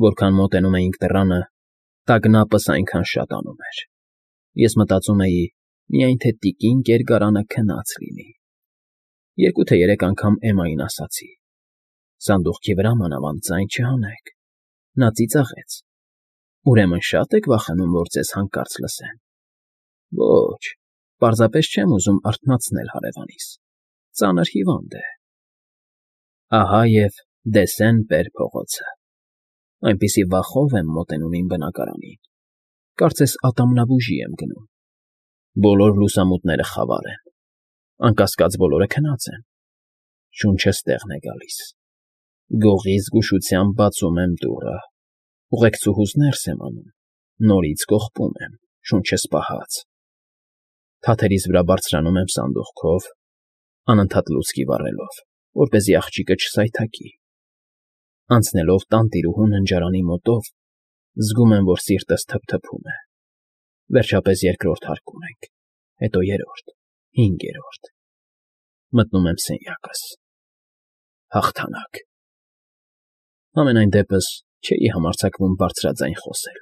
Որքան մոտենում էինք դռանը, տագնապս այնքան շատանում էր։ Ես մտածում էի, միայն թե տիկին Կերգարանը քնած լինի։ 2 թե 3 անգամ Էմմային ասացի. «Սանդուղքի վրա մանավանդ ձայն չհանեք»։ Նա ծիծաղեց. «Ուրեմն շատ եք վախենում, որ ձեզ հանկարծ լսեն»։ Ոչ, պարզապես չեմ ուզում արթնացնել հարևանիս, ծանր հիվանդ է։ Ահա և Դեսեն֊Պեր փողոցը։ Այնպիսի վախով եմ մոտենում իմ բնակարանին, կարծես ատամնաբուժի եմ գնում։ Բոլոր լուսամուտները խավար են, անկասկած բոլորը քնած են։ Շունչս տեղն է գալիս։ Գողի զգուշությամբ բացում եմ դուռը, ուղեկցուհուս ներս եմ անում, նորից կողպում եմ, շունչս պահած։ Թաթերիս վրա բարձրանում եմ սանդուղքով, անընդհատ լուցկի վառելով, որպեսզի աղջիկը չսայթաքի։ Անցնելով տանտիրուհու ննջարանի մոտով, զգում եմ, որ սիրտս թփթփում է։ Վերջապես երկրորդ հարկում ենք, հետո երրորդ, հինգերորդ։ Մտնում եմ սենյակս։ Հաղթանակ։ Համենայն դեպս չէի համարձակվում բարձրաձայն խոսել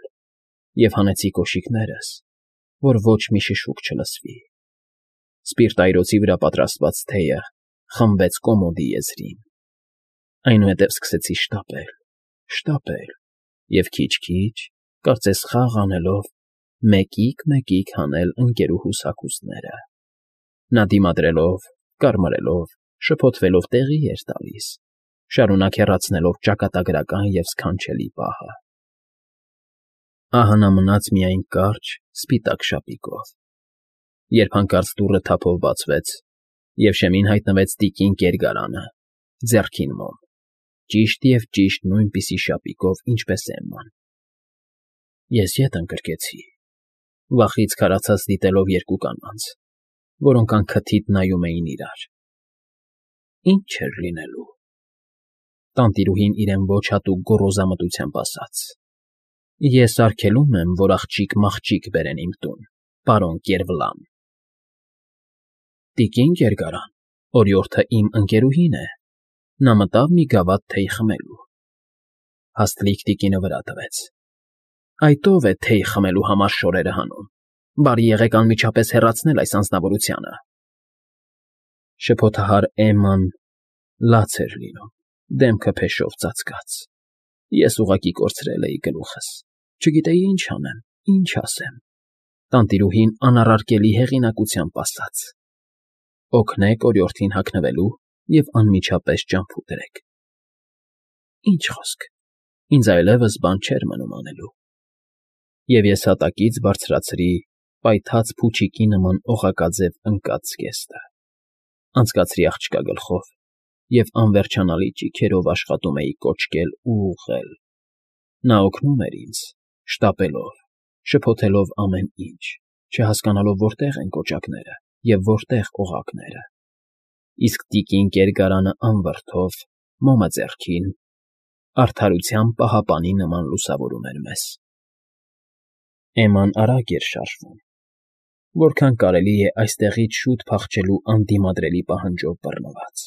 և հանեցի կոշիկներս, որ ոչ մի շշուկ չլսվի։ Սպիրտայրոցի վրա պատրաստված թեյը խմվեց կոմոդի եզրին։ Այնուհետև սկսեցի շտապել և քիչ֊քիչ, կարծես խաղ անելով, մեկիկ֊մեկիկ հանել ընկերուհուս հագուստները։ Նա դիմադրելով, կարմրելով, շփոթվելով տեղի էր տալիս, շարունակ հեռացնելով ճակատագրական և սքանչելի պահը։ Ահա նա մնաց միայն կարճ, սպիտակ շապիկով, երբ հանկարծ դուռը թափով բացվեց, և շեմին հայտնվեց տիկին Կերգարանը, ձեռքին մոմ, ճիշտ նույնպիսի շապիկով, ինչպես Էմման։ Ես ետ ընկրկեցի, վախից քարացած դիտելով 2 կանանց, որոնք անքթիթ նայում էին իրար։ Ինչ էր լինելու։ Տանտիրուհին իրեն ոչ հատուկ գոռոզամտությամբ ասաց. «Ես արգելում եմ, որ աղջիկ-մաղջիկ բերեն իմ տուն, պարոն Կերվլան»։ Տիկին Կերգարան, օրիորդը իմ ընկերուհին է, նա մտավ մի գավաթ թեյ խմելու։ Հաստլիկ տիկինը վրա տվեց. «Այդ ո՞վ է թեյ խմելու համար շորերը հանում, բարի եղեք անմիջապես հեռացնել այս անձնավորությանը»։ Շփոթահար Էմման լաց էր լինում, դեմքը փեշով ծածկած։ Ես ուղղակի կորցրել էի գլուխս, չգիտեի ինչ անեմ, ինչ ասեմ։ Տանտիրուհին անառարկելի հեղինակությամբ ասաց. «Օգնեք օրիորդին հագնվելու և անմիջապես ճամփու դրեք»։ Ինչ խոսք, ինձ այլևս բան չէր մնում անելու։ Եվ ես հատակից բարձրացրի պայթած փուչիկի նման օղակաձև ընկած զգեստը, անցկացրի աղջկա գլխով և անվերջանալի ճիգերով աշխատում էի կոճկել ու ուղղել։ Նա օգնում էր ինձ, շտապելով, շփոթելով ամեն ինչ, չհասկանալով որտեղ են կոճակները և որտեղ օղակները։ Իսկ տիկին Կերգարանը անվրդով, մոմը ձեռքին, արդարության պահապանի նման լուսավորում էր մեզ։ Էմման արագ էր շարժվում, որքան կարելի է այստեղից շուտ փախչելու անդիմադրելի պահանջով բռնված։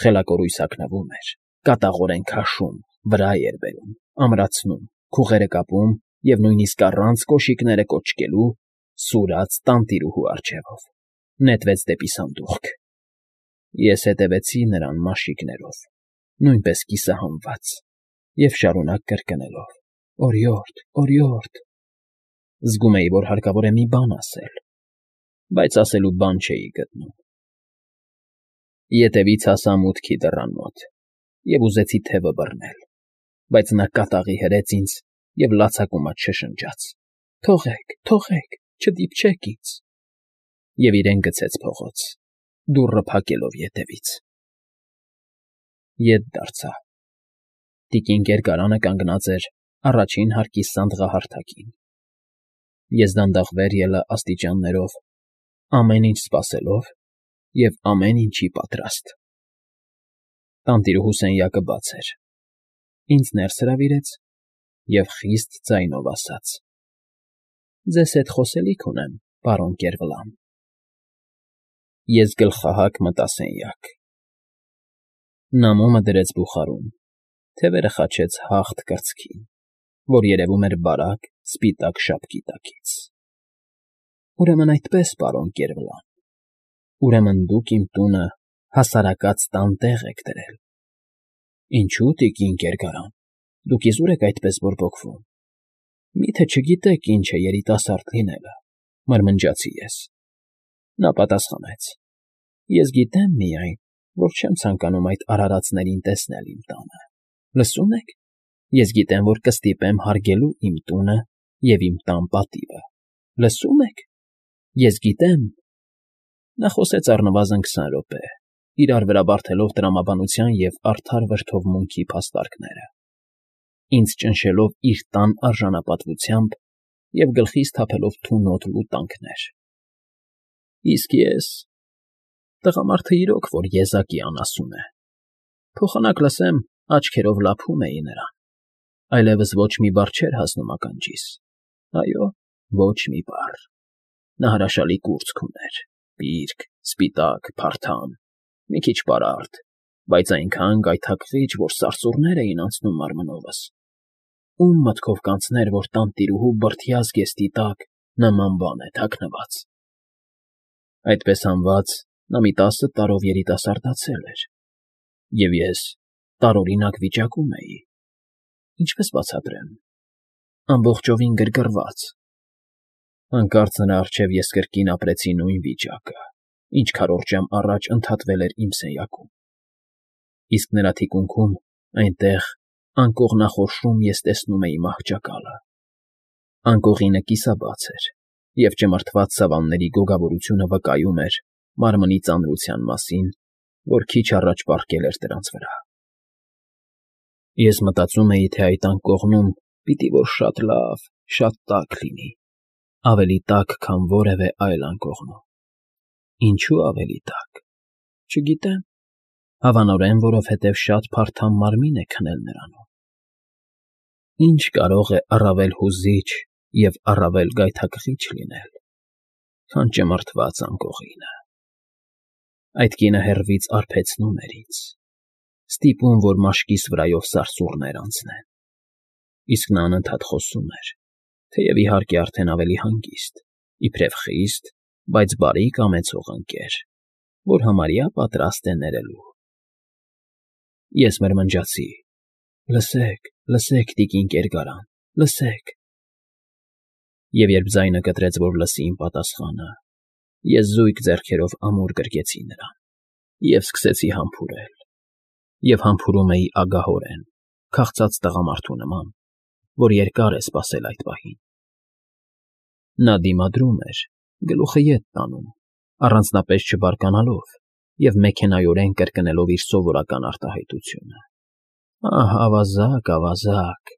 Խելակորույս հագնվում էր, կատաղորեն քաշում, վրա էր բերում, ամրացնում, քուղերը կապում և նույնիսկ առանց կոշիկները կոճկելու սուրաց տանտիրուհու առջևով, նետվեց դեպի սանդուղք։ Ես հետևեցի նրան մաշիկներով, նույնպես կիսահանված, և շարունակ կրկնելով. «Օրիորդ, օրիորդ»։ Զգում էի, որ հարկավոր է մի բան ասել, բայց ասելու բան չէի գտնում։ Ետևից հասա մուտքի դռան մոտ և ուզեցի թևը բռնել, բայց նա կատաղի հրեց ինձ և լացակումած շշնջաց. «Թողեք, թողեք, չդիպչեք ինձ»։ Եվ իրեն գցեց փողոց, դուռը փակելով ետևից։ Ետ դարձա։ Տիկին Կերգարանը կանգնած էր առաջին հարկի սանդղահարթակին։ Ես դանդաղ վեր ելա աստիճաններով, ամեն ինչ սպասելով և ամեն ինչի պատրաստ։ Տանտիրուհու սենյակը բաց էր, ինձ ներս հրավիրեց և խիստ ձայնով ասաց. «Ձեզ հետ խոսելիք ունեմ, պարոն Կերվլան»։ Ես գլխահակ մտա սենյակ։ Նա մոմը դրեց բուխարում, Թևերը խաչեց հաղթ կրծքին, որ երևում էր բարակ, սպիտակ շապկի տակից։ Ուրեմն այդպես, պարոն Կերվլան, ուրեմն դուք իմ տունը հասարակած տան տեղ եք դրել։ Ինչո՞ւ, տիկին Կերգարան, դուք իզուր եք այդպես բորբոքվում։ Մի՞թե չգիտեք ինչ է երիտասարդ լինելը, մրմնջացի ես։ Նա պատասխանեց. Ես գիտեմ միայն, որ չեմ ցանկանում այդ արարածներին տեսնել իմ տանը։ Լսում եք։ Ես գիտեմ, որ կստիպեմ հարգելու իմ տունը և իմ տան պատիվը։ Լսում եք։ Ես գիտեմ։ Նա խոսեց առնվազն 20 րոպե, իրար վրա բարդելով տրամաբանության և արդար վրդովմունքի փաստարկները, ինձ ճնշելով իր տան արժանապատվությամբ և գլխիս թափելով թունոտ լուտանքներ։ Իսկ ես… Տղամարդը իրոք որ եզակի անասուն է։ Փոխանակ լսեմ, աչքերով լափում էի նրան, այլևս ոչ մի բառ չէր հասնում ականջիս, այո, ոչ մի բառ։ Նա հրաշալի կուրծք ուներ, պիրկ, սպիտակ, փարթամ, մի քիչ պարարտ, բայց այնքան գայթակղիչ, որ սարսուռներ էին անցնում մարմնովս։ Ում մտքով կանցներ, որ տանտիրուհու բրդյա զգեստի տակ նման բան է թաքնված։ Այդպես հանված նա մի 10 տարով երիտասարդացել էր, և ես տարօրինակ վիճակում էի, ինչպես բացատրեմ, ամբողջովին գրգռված։ Հանկարծ նրա առջև ես կրկին ապրեցի նույն վիճակը, ինչ քառորդ ժամ առաջ ընդհատվել էր իմ սենյակում, իսկ նրա թիկունքում, այնտեղ, անկողնախորշում ես տեսնում էի մահճակալը։ Անկողինը կիսաբաց էր, և ճմրթված սավանների գոգավորությունը վկայում էր մարմնի ծանրության մասին, որ քիչ առաջ պառկել էր դրանց վրա։ Ես մտածում էի, թե այդ անկողնում պիտի որ շատ լավ, շատ տաք լինի, ավելի տաք, քան որևէ այլ անկողնում։ Ինչու ավելի տաք։ Չգիտեմ, հավանորեն, որովհետև շատ փարթամ մարմին է քնել նրանում։ Ինչ կարող է առավել հուզիչ և առավել գայթակղիչ լինել, քան ճմրթված անկողինը։ Այդ կինը հեռվից արբեցնում էր ինձ, ստիպում, որ մաշկիս վրայով սարսուռներ անցնեն, իսկ նա անընդհատ խոսում էր, թեև իհարկե արդեն ավելի հանգիստ, իբրև խիստ, բայց բարի կամեցող ընկեր, որ համարյա պատրաստ է ներելու։ Ես մրմնջացի. Լսեք, լսեք, տիկին Կերգարան, լսեք։ Եվ երբ ձայնը կտրեց, որ լսի իմ պատասխանը, ես զույգ ձեռքերով ամուր գրկեցի նրան և սկսեցի համբուրել, և համբուրում էի ագահորեն, քաղցած տղամարդու նման, որ երկար է սպասել այդ պահին։ Նա դիմադրում էր, գլուխը ետ տանում, առանձնապես չբարկանալով և մեքենայորեն կրկնելով իր սովորական արտահայտությունը. «Ահ, ավազակ, ավազակ»։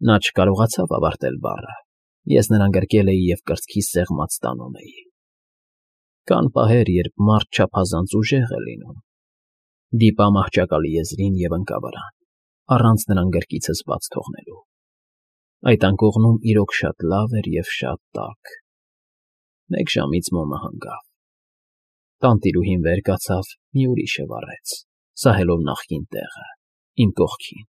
Նա չկարողացավ ավարտել բառը, ես նրան գրկել էի և կրծքիս սեղմած տանում էի։ Կան պահեր, երբ մարդ չափազանց ուժեղ է լինում։ Դիպա մահճակալի եզրին և ընկա վրան, առանց նրան գրկիցս բաց թողնելու։ Այդ անկողնում իրոք շատ լավ էր և շատ տաք։ Մեկ ժամից մոմը հանգավ։ Տանտիրուհին վեր կացավ, մի ուրիշը վառեց, սահելով նախկին տեղը, իմ կողքին։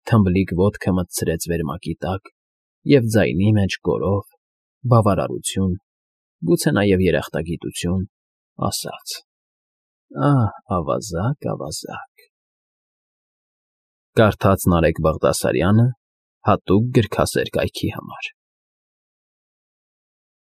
Թմբլիկ ոտքը մտցրեց վերմակի տակ և ձայնի մեջ գոռով, բավարարություն, գուցե նաև երախտագիտություն, ասաց. «Ահ, ավազակ, ավազակ»։ Կարդաց Նարեկ Բաղդասարյանը հատուկ գրքասեր կայքի համար։